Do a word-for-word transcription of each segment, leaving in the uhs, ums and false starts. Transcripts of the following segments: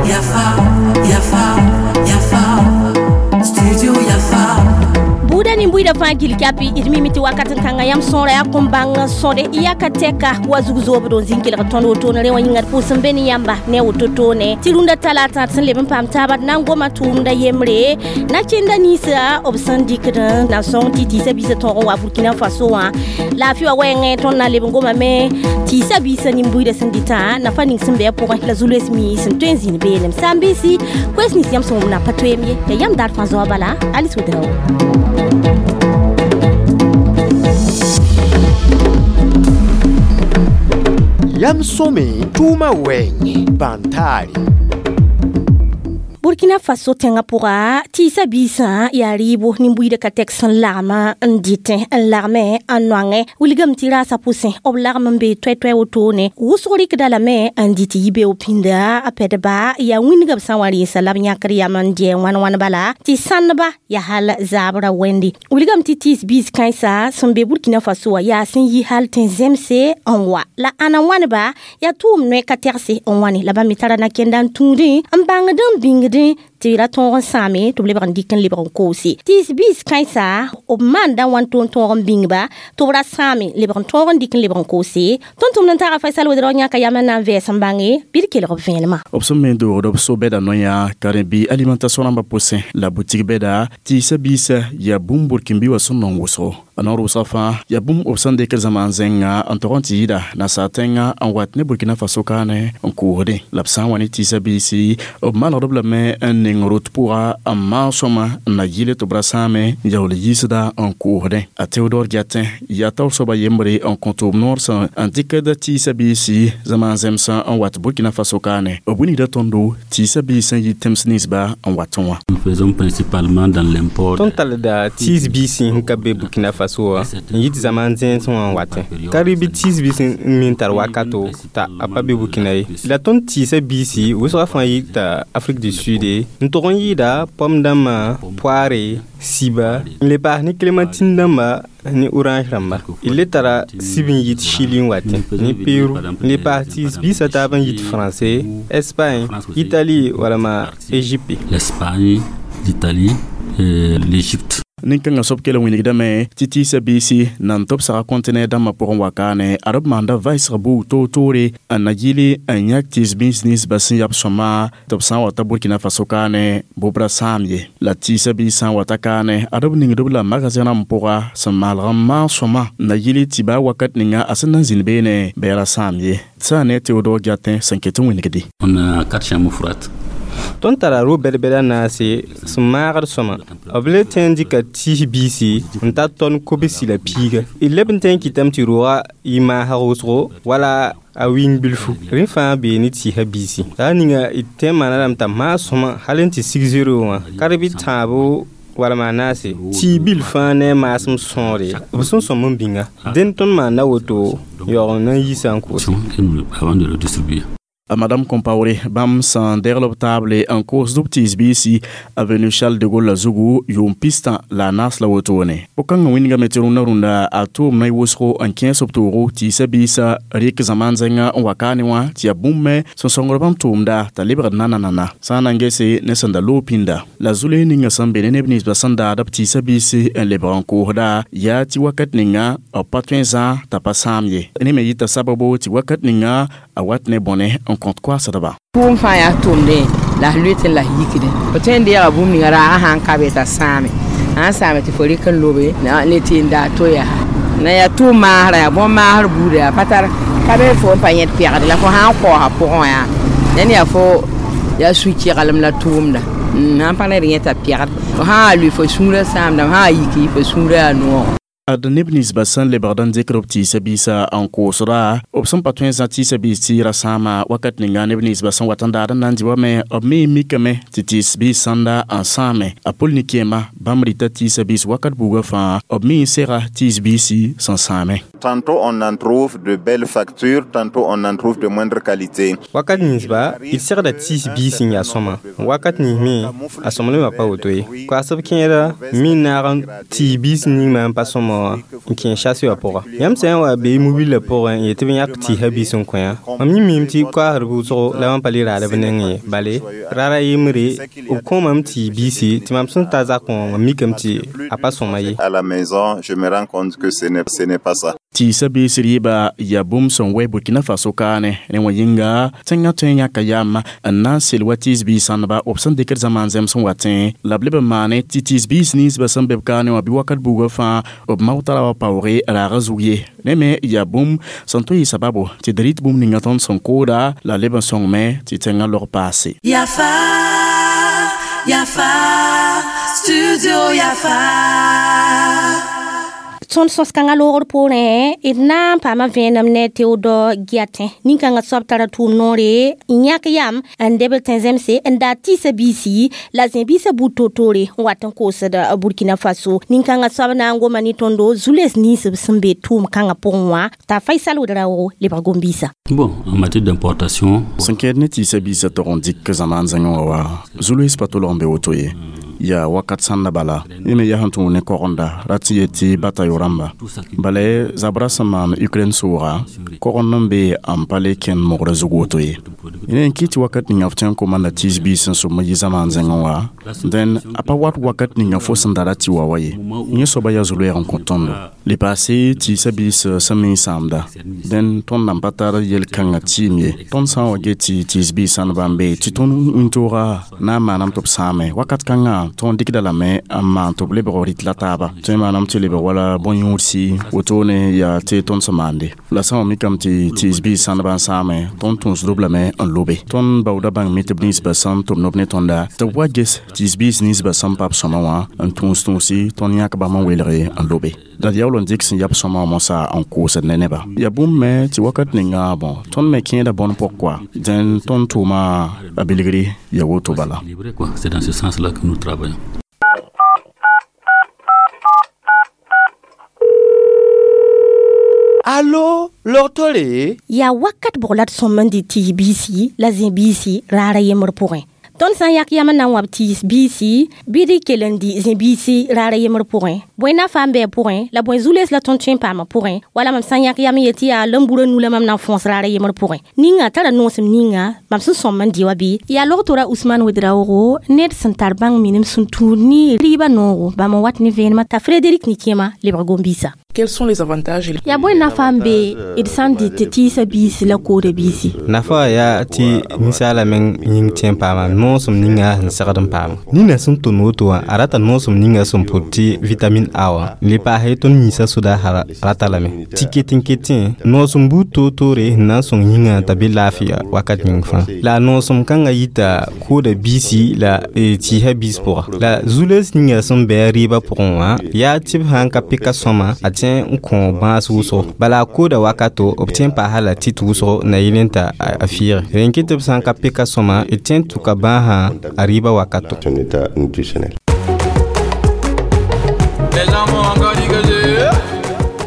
Yafa, Yafa, Yafa, Studio Yafa. Buda nimbuida fãa gil kapi d mimi tɩ wakat n kãnga yãmb sõora yaa kõn bãng sõde yaka tɛka wa zug zoobd n zĩn kelg tõnd wotone rẽ wã yĩnga d pʋʋs n be ne yãmba ne woto toone tɩ rũndã talata d sẽn leb n paam taaba d na n goma tʋʋmda yembre na-kẽnda ninsã b sẽn dɩkd na n sõng tɩ tɩɩsã biisã tõog n wa Burkina Faso wã laafɩ wa wɛɛngẽ tõnd na n leb n gomame tɩɩsã biisã nin-buiidã sẽn dɩtã nafa ning sẽn be a pʋgẽ la zu-loees mi sẽn tõe n zĩnd beenem saam-biisi koees nins yãmb sẽn wʋm na pa toeem ye ya yãmb daar fãa zoa bala Alice Ouedraogo. Yam sõme tʋʋmã wɛɛngẽ bãn-taare. Burkina Faso tẽngã pʋga tɩɩsã biisã yaa rɩɩbo nin-buiidã ka tɛk sẽn lagma n dɩtẽ n lagme n noangẽ wilgame tɩ raasã pʋsẽ b lagm n bee toɛ-toɛ wotone wʋsg rɩkda lame n dɩ tɩ yi-beoog pĩnda a pɛdba yaa wĩndga b sã n wa rẽensa la b yãkd yam n dɩ wãn wãn bala tɩ sãndba yaa hal zaabrã wẽnde wilgame tɩ tɩɩs biis kãensa sẽn be Burkina Faso wã yaa sẽn yi hal tẽn-zemse n wa la ãna wãneba yaa tʋʋm noɛ ka tɛgse n wãne la bãmb me tara na-kẽnda n tũudẽ n bãngd n bĩngdẽ tɩ ra tõog n sãame tɩ b lebg n dɩk n lebg n koose tɩɩs biis kãensa b maanda wãn toon tõog n bĩngba tɩ b ra sãame lebg n tõog n dɩk n lebg n koose tõnd tʋmd n taga Faisal Ouedraogo yãka yam n na n vɛɛs n bãnge bɩ d kelg b vẽenemã b sẽn me doogd b so-bɛda noyã karen-bi alimentation rãmbã pʋsẽ la boutique bɛda tɩɩsã biisã yaa bũmb burkĩn-bi wã sẽn nong wʋsgo a noor wʋsga fãa yaa bũmb b sẽn dɩkd zãma n zẽnga n tog n tɩ yɩɩda nasaar tẽngã n wat ne Burkina Faso kaane n koosdẽ la b sã n wa ne tɩɩsã biisi b manegd b lame n ning rot pʋga n maag sõma n na yɩle tɩ b ra sãame n yaool yiisda n koosdẽ a Théodore Diatin yaa taoor soaba yembre n kõ tʋʋm noor sẽn n dɩkd tɩɩsã biisi zãma n zemsã n wat Burkina Faso kaane b wilgda tõndo tɩɩsã biis n yi tẽms ninsba n wat wã. Nous faisons principalement dans l'import. Tõnd talda tɩɩs biisi sẽn ka be Burkina Faso wã n yit zãma n zẽns wã n watẽ ka rɩ bɩ tɩɩs biis n me n tar wakato t'a a pa be Burkina ye la tõnd tɩɩsã biisi wʋsgã fãa yita Afrique du Sud n tog n yɩɩda pom dãmbã poare siba n le paas ne clémentine dãmba ne orange rãmba d le tara sib n yit Chili n watẽ ne Peru n le paas tɩɩs biisã taab n yit Français, Espagne, Italie walma Égypte. L'Espagne, l'Italie et l'Égypte. Nin-kãngã soab kell n wilgdame tɩ tɩɩsã biisi nan tɩ b saga kɔntɩnɛr dãmbã pʋgẽ wa kaane ad b maanda vaɩsg buug toor-toore n na yɩle n yãk tɩɩs biis ninsbã sẽn yab sõma tɩ b sã n wa ta Burkina Faso kaane bʋ b ra sãam ye la tɩɩsã biis sã n wa ta kaane ad b ningd b la magazẽ rãmb pʋga sẽn maalg n maag sõma n na yɩle tɩ baa wakat ninga a sẽn na n zĩnd beene bɩ a ra sãam ye sã n ne Théodore Diatin sẽn ket n wilgde. On a quatre chambres froides. Tõnd tara ro-bɛd-bɛda naase sẽn maagd sõma b le tõe n dɩka tɩɩs biisi n tar tõnd kobsi la piiga d leb n tõe n kɩtame tɩ roogã yɩ maasg wʋsgo wala a wĩng bilfu rẽ fãa bee ne tɩɩsã biisi la a ninga d tõe n maana lame t'a maag sõma hal n tɩ sig zero wã ka rɩ bɩ tãabo walma naase tɩɩ bil fãa ne a maasem sõore b sẽn sõm n bĩnga dẽnd tõnd maanda woto yaoog n na n yiisa n koose. Avant de le distribuer. Madame Compaoré bãmb sẽn degl b taable n koosd b tɩɩs biisi avenue Charles de Gaulle la zugu yʋʋm pistã la a naas la wotone po-kãngã wĩndgame tɩ rũndã rũndã a tʋʋm na wʋsgo n kẽes b toogo tɩɩsã biisã rɩk zãmaan zẽngã n wa kaane wã tɩ yaa bũmb me sẽn sõngd bãmb tʋʋmda t'a lebgd nananana sã n na n gese ne sẽn da loog pĩnda la zu-loees ninga sẽn be ne neb ninsbã sẽn daad b tɩɩsã biisi n lebg n koosda yaa tɩ wakat ninga b pa tõe n zã t'a pa sãam ye ne me yɩta sababo tɩ wakat ninga a wat ne bõne n kõt koasdba. Tʋʋm fãa yaa tʋʋmdẽ la f loet n la f yikdẽ fo tõe n deega bũmb ninga raagã sã n ka be t'a sãame sã n sãame tɩ fo rɩk n lobe ne tɩ n daa to yaa na yaa tʋʋm maasrã yaa bõn-maasr buuda yaa pa tar ka be fo n pa yẽd pɛgd la fo sã n kaoosa pʋgẽ wã yaa ned yaa fo yaa su-keglem la tʋʋmda sãn pa ned yẽta pɛgd fo sã n lʋɩ fo sũurã sãamda fo sã n yiki fo sũurã yaa noog. Ad neb ninsbã sẽn lebgd n dɩkd b tɩɩsã biisã n koosda b sẽn pa tõe n zã tɩɩsã biis tɩ ra sãama wakat ninga neb ninsbã sẽn wat n daad n na n dɩ wame b me mikame tɩ tɩɩs biis sãnda n sãame a pol nin-kẽema bãmb rɩta tɩɩsã biis wakat buugã fãa b me n sega tɩɩs biisi sẽn sãame. Tantôt on en trouve de belles factures, tantôt on en trouve de moindre qualité. Wakat ninsba d segda tɩɩs biis n yaa sõma wakat nins me a sõmblmã pa woto ye koasb kẽera mi n naag n tɩɩs biis ningmã n pa sõma wã n kẽ chase wã pʋga yãmb sã n wa bee mobila pʋgẽ n yet tɩ b yãk tɩɩsã biis n kõ yã mam yẽ miime tɩ koaasdb wʋsgo la mam pa le raad b nengẽ ye bale rara yembre b kõomame tɩ biisi tɩ mam sẽn ta zakẽ wã mam mikame tɩ a pa sõma ye. À la maison, je me rends compte que ce n'est, ce n'est pas ça. Tɩɩsã biis rɩɩba yaa bũmb sẽn wɛ Burkina Faso kaane ne wã yĩnga tẽngã tõe n yãka yam n na n sel wa tɩɩs biis sãndba b sẽn dɩkd zamaan zẽms n watẽ la b leb n maane tɩ tɩɩs biis ninsbã sẽn be b kaane wã bɩ wakat buugã fãa b mao tara wa paoore raagã zug ye ne me yaa bũmb sẽn tõe yɩ sababo tɩ d rɩt bũmb ninga tõnd sẽn kooda la leb n sõngme tɩ tẽngã log paase. Yafa, Yafa, Studio Yafa. Tõnd sõs-kãngã loogr poorẽ d na n paama vẽenem ne Théodore Guiatin nin-kãngã soab tara tʋʋm noore n yãk yam n deb tẽn-zemse n daa tɩɩsã biisi la zẽ-biisã buud toor-toore n wat n koosd Burkina Faso nin-kãngã soab na n goma ne tõndo zu-les ninsb sẽn be tʋʋm-kãngã pʋgẽ wã t'a Faisal Ouedraogo lebg gom-biisã. Bon, en matière d'importation, sẽn kẽed ne tɩɩsã biisã tog n dɩk zamaan zẽngẽ wã wa zu-loees pa tolg n be woto ye yaa wakat sãnda bala yẽ me yaa sẽn tũud ne kogenda ra tɩ yet tɩ bata yo rãmba bala zabra sẽn maan Ukraine sʋʋga kogend n be n pa le kẽnd mogrã zug woto ye yẽ n kɩ tɩ wakat ninga f tõe n komanda tɩɩs biis sẽn sõm n yi zamaan zẽngẽ wã dẽn a pa wat wakat ninga fo sẽn da ra tɩ wa wa ye yẽ soaba yaa zu-loɛɛg n kõ tõndo le paase tɩɩsã biis sẽn me n sãamda dẽn tõnd nan pa tar yel-kãngã tɩɩm ye tõnd sã n wa get tɩ tɩɩs biis sãndba n be tɩ tõnd wĩntoogã na n maanam tɩ b sãame wakat kãngã tõnd dɩkda lame n maan tɩ b lebg rɩt la taaba tõe n maanam tɩ lebg wala bõn-yũudsi wotone yaa tɩ tõnd sẽn maande la sã n wa mikame tɩ tɩɩs biis sãndbã n sãame tõnd tũusd-b lame n lobe tõnd baooda bãng mi tɩ b ninsbã sẽn tʋm nob ne tõnda tɩ b wa ges tɩɩs biis ninsbã sẽn pa b sõma wã n tũus tũusi tõnd yãk bãmb n welge n lobe la d yaool n dɩk sẽn yab sõma wã mosã n koosd ne nebã yaa bũmb me tɩ wakat ninga bõ tõnd me kẽeda bõn pʋg koa dẽn tõnd tʋʋma a bilgri yaa woto bala. Équilibré, quoi. C'est dans ce sens-là que nous travaillons. Allo, log-tore? Yaa wakat bʋg la d sõm n dɩ tɩɩs biisi la zẽ biisi raara yembr pʋgẽ tõnd sã n yak yam n na n wãb tɩɩs biisi bɩ d kell n dɩ zẽ biisi raara yembr pʋgẽ bõe na fa n bɩ pʋgẽ la bõe zu-loees la tõnd tõe n paamã pʋgẽ wala mam sã n yãk yam n yet tɩ yaa lambura nu la mam na n fõos raara yembr pʋgẽ ninga tara noosem ninga mam sẽn sõm n dɩ wa bɩ yaa log-tora Ousmane Ouedraogo ned sẽn tar bãng minim sẽn tũud ne rɩɩbã noogo bãmb n wat ne vẽenemã t'a Frédéric Nikema lebg gom-biisã. Quels sont les avantages? Yaa bõe nafa n be d sã n dɩ tɩ tɩɩsã biisi la kooda biisi? Nafa yaa tɩ ninsaala meng yĩng tõe n paama noosem ninga sẽn segd n paama nina sẽn tʋn woto wã a rata noosem ninga sẽn pʋd tɩ vitamine A wã le paase tõnd yĩsã soda rata lame tɩ ket n ketẽ noosem buud toor-toore sẽn na n sõng yĩngã t'a be laafɩya wakat yĩng fãa la a noosem kãngã yita kooda biisi la tɩɩsã biis pʋga la zu-loees ninga sẽn bɩ a rɩɩbã pʋgẽ wã yaa tɩ b sã n ka pɩka sõma a tõe n kõ bãas wʋsgo bala a kooda wakato b tõe n paasa la tɩt wʋsgo na yɩl n ta a fɩɩge rẽn kɩ tɩ b sã n ka pɩka sõma d tõe n tʋka bãasã a rɩɩbã wakato. Son état nutritionnel.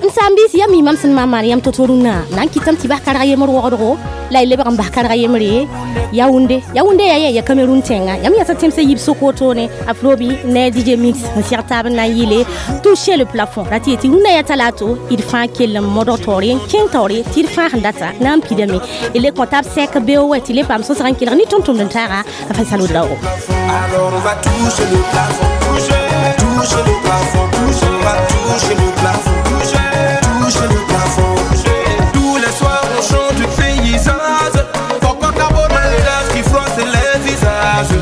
N sãn-biis yaa mi mam sẽn maan maan yam to-to rũnnã na n kɩtame tɩ bas karg yembr wogdgo la y lebg n bas karg yembre Yaoundé Yaoundé yaa yẽ ya Cameroun tẽnga yãmb yãsa tẽmsã yib sʋk wotone Afrobi ne D J Mix n seg taab n na n yɩle toucher le plafond ra tɩ yetɩ rũnnã yaa talato d fãa kell n modg taoore n kẽng taoore tɩ d fãa sẽn data na n pidame d le kõ tab sɛk beoog wɛ tɩ le paam sõsg n kelg ne tʋm-tʋmd n taaga a Faisal Ouedraogo. Alors on va toucher le plafond, toucher, toucher le plafond, toucher, on va toucher le plafond, toucher, toucher le plafond. Tous les soirs on chante du paysage. Pourquoi Cabona les lèvres qui froissent les visages.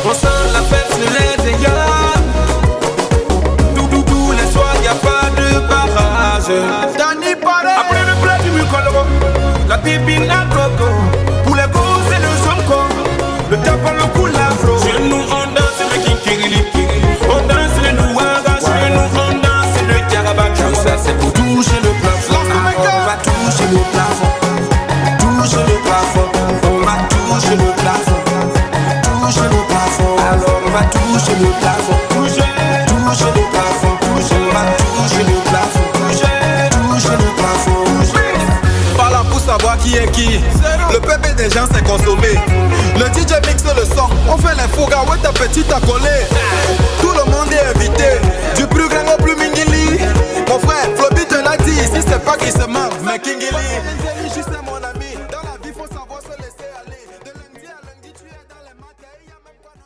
On sent la fête sur les ayats. Tout, tout, tous les soirs y a pas de barrage. Danny Paré. Après le plat du Mukolo, la pipine à coco. Pour les gosses et le zonko, le tapon le coup l'afro. Chez nous on danse le kinkirili, on danse le nouaga. Chez nous on danse le caraba. Tout ça c'est pour toucher le plafond. On va toucher le plafond, toucher le plafond. On va toucher le plafond, toucher le plafond. Alors on va toucher le plafond, toucher, toucher le plafond, toucher. On va toucher le plafond, toucher, toucher le plafond. Pas là pour savoir qui est qui. Le peuple des gens s'est consommé. Le D J mixe le son, on fait les fougas, ouais ta petite accolée. Tout le monde est invité, du plus grand au plus mingili. crois qu'il se manque. Mais Kingili.